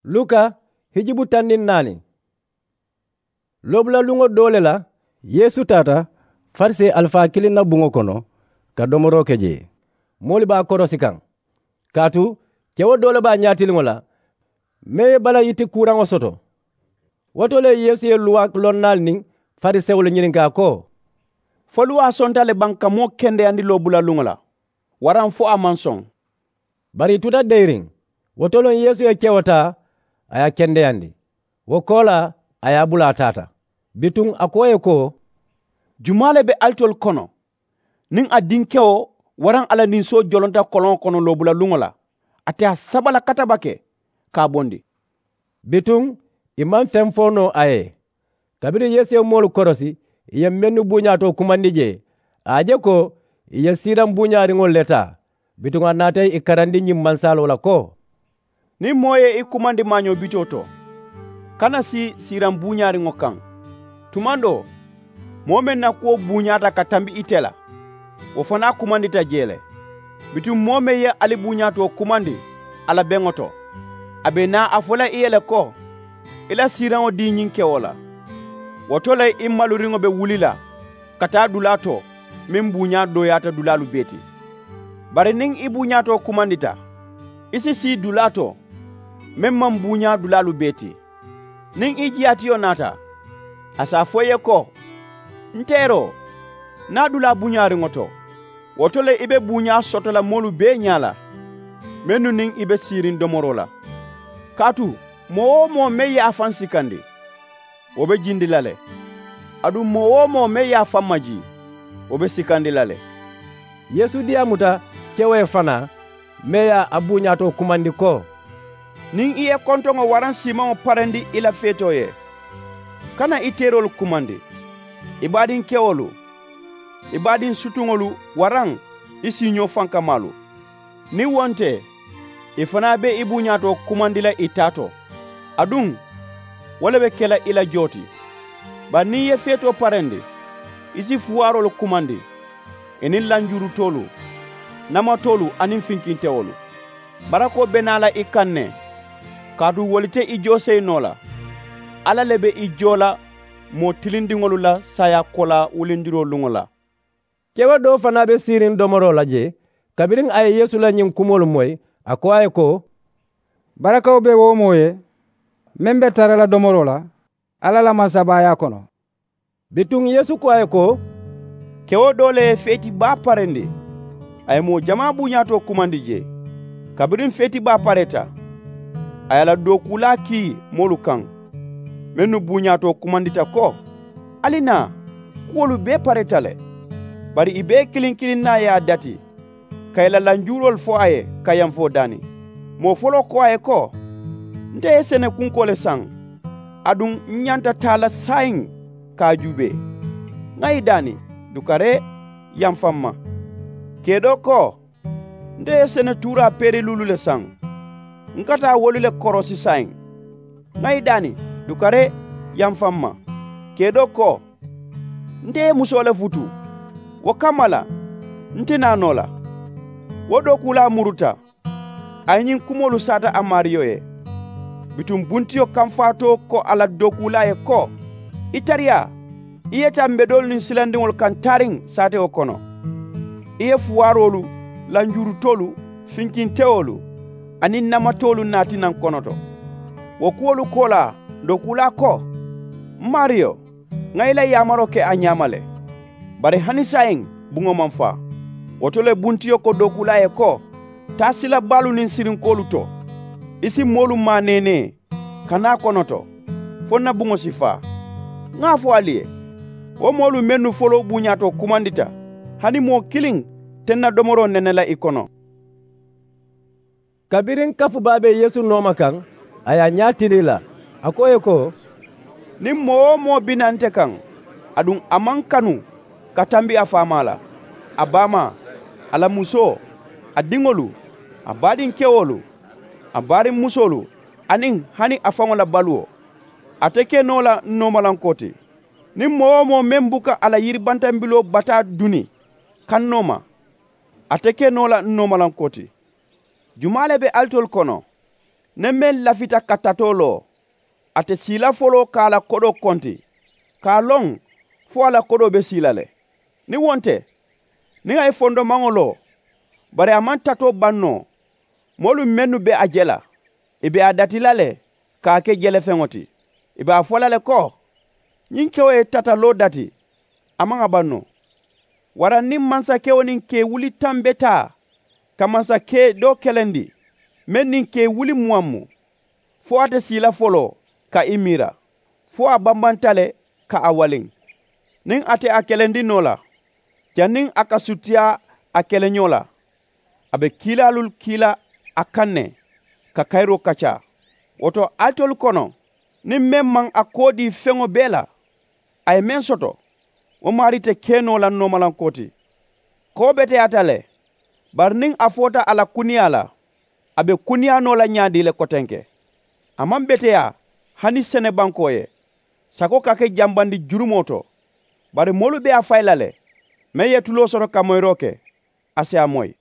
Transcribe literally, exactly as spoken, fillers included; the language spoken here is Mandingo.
Luka hijibu taŋ niŋ naani. Loobula luŋo doo le la, yeesu taata farisee alifaa kiliŋ na buŋo kono ka domoroo ke jee. Moolu be a korosi kaŋ kaatu kewo doo le be a ñaatiliŋo la, meŋ ye bala yiti kuuraŋo soto. Wo to le yeesu ye luwaa lonnaalu niŋ farisewolu ñininkaa ko, fo luwaa sonta le baŋ ka moo kendeyandi loobula luŋo la, waraŋ fo a maŋ soŋ? Bari i tuta deyiriŋ. Wo to loŋ yeesu ye kewo taa, a ye a kendeyandi. Wo koolaa a ye a bula a taata. Bituŋ a ko ì ye ko, jumaa le be alitolu kono, niŋ a dinkewo waraŋ a la ninsoo jolonta koloŋo kono loobula luŋo la, ate a saba la katabake ka a bondi? Bituŋ ì maŋ feŋ fo noo a ye. Kabiriŋ yeesu ye moolu korosi ì ye mennu buuñaatoo kumandi jee, a ye a je ko ì ye siiraŋ buuñaariŋolu le taa. Bituŋ a naata ì karandi ñiŋ mansaaloo la ko, niŋ moo ye i kumandi maañoo bitoo to, kana sii siiraŋ buuñaariŋo kaŋ. Tumandoo moo meŋ na kuwo buuñaata ka tambi ite la, wo fanaa kumandita jee le. Bituŋ moo meŋ ye ali buuñaatoo kumandi a la beŋo to, a be naa a fo la i ye le ko, i la siiraŋo dii ñiŋ kewo la. Wo to le i maluriŋo be wuli la ka taa dulaa to meŋ buuñaa dooyaata dulaalu bee ti. Bari niŋ i buuñaatoo kumandita, i si sii dulaa to meŋ maŋ buuñaa dulaalu bee ti. Niŋ i jiyaatiyo naata, a si a fo i ye ko, n teeroo, naa dulaa buuñaariŋo to. Wo to le i be buuñaa soto la moolu bee ñaa la, mennu niŋ i be siiriŋ domoroo la. Kaatu moo-wo-moo meŋ ye a faŋ sikandi, wo be jindi la le. Aduŋ moo-wo-moo meŋ ye a faŋ majii, wo be sikandi la le. Yeesu diyaamuta kewo ye fanaa, meŋ ye a buuñaatoo kumandi ko, niŋ i ye kontoŋo waraŋ siimaŋo parendi i la feetoo ye, kana i teeroolu kumandi, i baadiŋ kewolu, i baadiŋ sutuŋolu, waraŋ i siiñoo fankamaalu. Niŋ wo nte, ì fanaa be i buuñaatoo kumandi la ì taa to. Aduŋ wo le be ke la i la joo ti. Bari niŋ i ye feetoo parendi, i si fuwaaroolu kumandi, i niŋ lanjurutoolu, namatoolu aniŋ finkintewolu. Barakoo be naa la i kaŋ ne, kaatu wolu te i joo seyi noo la. Alla le be i joo la moo tilindiŋolu la saayaa koolaa wulindiroo luŋo la. Kewo doo fanaa be siiriŋ domoroo la jee. Kabiriŋ a ye yeesu la ñiŋ kumoolu moyi, a ko a ye ko, barakawo be wo moo ye meŋ be tara la domoroo la alla la mansabaayaa kono. Bituŋ yeesu ko a ye ko, kewo doo le ye feeti baa parendi. A ye moo jamaa buuñaatoo kumandi jee. Kabiriŋ feeti baa pareeta, a ye a la dookuulaa kii moolu kaŋ, mennu buuñaatoo kumandita ko, ali naa, kuwolu bee pareeta le. Bari ì bee kiliŋ kiliŋ naa ye a dati, ka ì la lanjuuroolu fo a ye ka yamfoo daani. Moo foloo ko a ye ko, nte ye sene kunkoo le saŋ, aduŋ n ñanta taa la saayiŋ ka a juubee. Ŋà ì daani, dukaree, yamfa m ma. Kee doo ko, nte ye sene tuuraa peeriluulu le saŋ, n ka taa wolu le korosi saayiŋ. Ŋà ì daani, dukaree, yamfa m ma. Kee doo ko, nte ye musoo le futu, wo kamma la n ti naa noo la. Wo dookuulaa muruta, a ye ñiŋ kumoolu saata a maariyo ye. Bituŋ buntiyo kamfaatoo ko a la dookuulaa ye ko, i tariyaa, i ye taa mbedoolu niŋ silandiŋolu kaŋ taariŋ saatewo kono. I ye fuwaaroolu, lanjuurutoolu, finkintewolu aniŋ namatoolu naati naŋ konoto. Wo kuwolu koolaa dookuulaa ko, m maariyo, ŋà i la yaamaroo ke a ñaama le. Bari hani saayiŋ buŋo maŋ faa. Wo to le buntiyo ko dookuulaa ye ko, taa sila baalu niŋ sirinkoolu to, i si moolu maa neenee ka naa konoto, fo n na buŋo si faa. Ŋà a fo ali ye, wo moolu mennu foloo buuñaatoo kumandita, hani moo kiliŋ te n na domoroo nene la i kono. Kabiriŋ kafu baa be yeesu nooma kaŋ, a ye a ñaa tilii la, a ko ì ye ko, niŋ moo-wo-moo bi naa nte kaŋ, aduŋ a maŋ kanu ka tambi a faamaa la, a baamaa, a la musoo, a diŋolu, a baadiŋ kewolu, a baariŋ musoolu, aniŋ hani a faŋo la baluwo, a te ke noo la n noomalankoo ti. Niŋ moo-wo-moo meŋ buka a la yiribantambiloo bataa duni kannoo ma, a te ke noo la n noomalankoo ti. Jumaa le be alitolu kono, Niŋ meŋ lafita ka tatoo loo, ate siila foloo ka a la kodoo konti ka a loŋ fo a la kodoo be sii la le. Niŋ wo nte, niŋ a ye fondomaŋo loo, bari a maŋ tatoo baŋ noo, moolu mennu be a je la, ì be a dati la le ka a ke jelefeŋo ti. Ì be a fo la le ko, ñiŋ kewo ye tataloo dati, a maŋ a baŋ noo. Waraŋ niŋ mansakewo niŋ kee wuli taŋ be taa ka mansakee doo kelendi, meŋ niŋ kee wuli muwaŋ mu, fo a te sii la foloo ka i miira, fo a bambanta le ka a waliŋ. Niŋ a te a kelendi noo la, janniŋ a ka sutiyaa a keleñoo la, a be kiilaalu kii la a kaŋ ne ka kayiroo kaccaa. Wo to, alitolu kono, niŋ meŋ maŋ a koo dii feŋo bee la, a ye meŋ soto, wo maarii te ke noo la noomalankoo ti. Koo beteyaata le, bari niŋ a foota a la kuniyaa la, a be kuniyaa noo la ñaadii le kotenke. A maŋ beteyaa hani senebankoo ye. Sakoo ka ke jambandi jurumoo to. Bari moolu be a fayi la le, meŋ ye tuloo soto ka moyiroo ke, a si a moyi.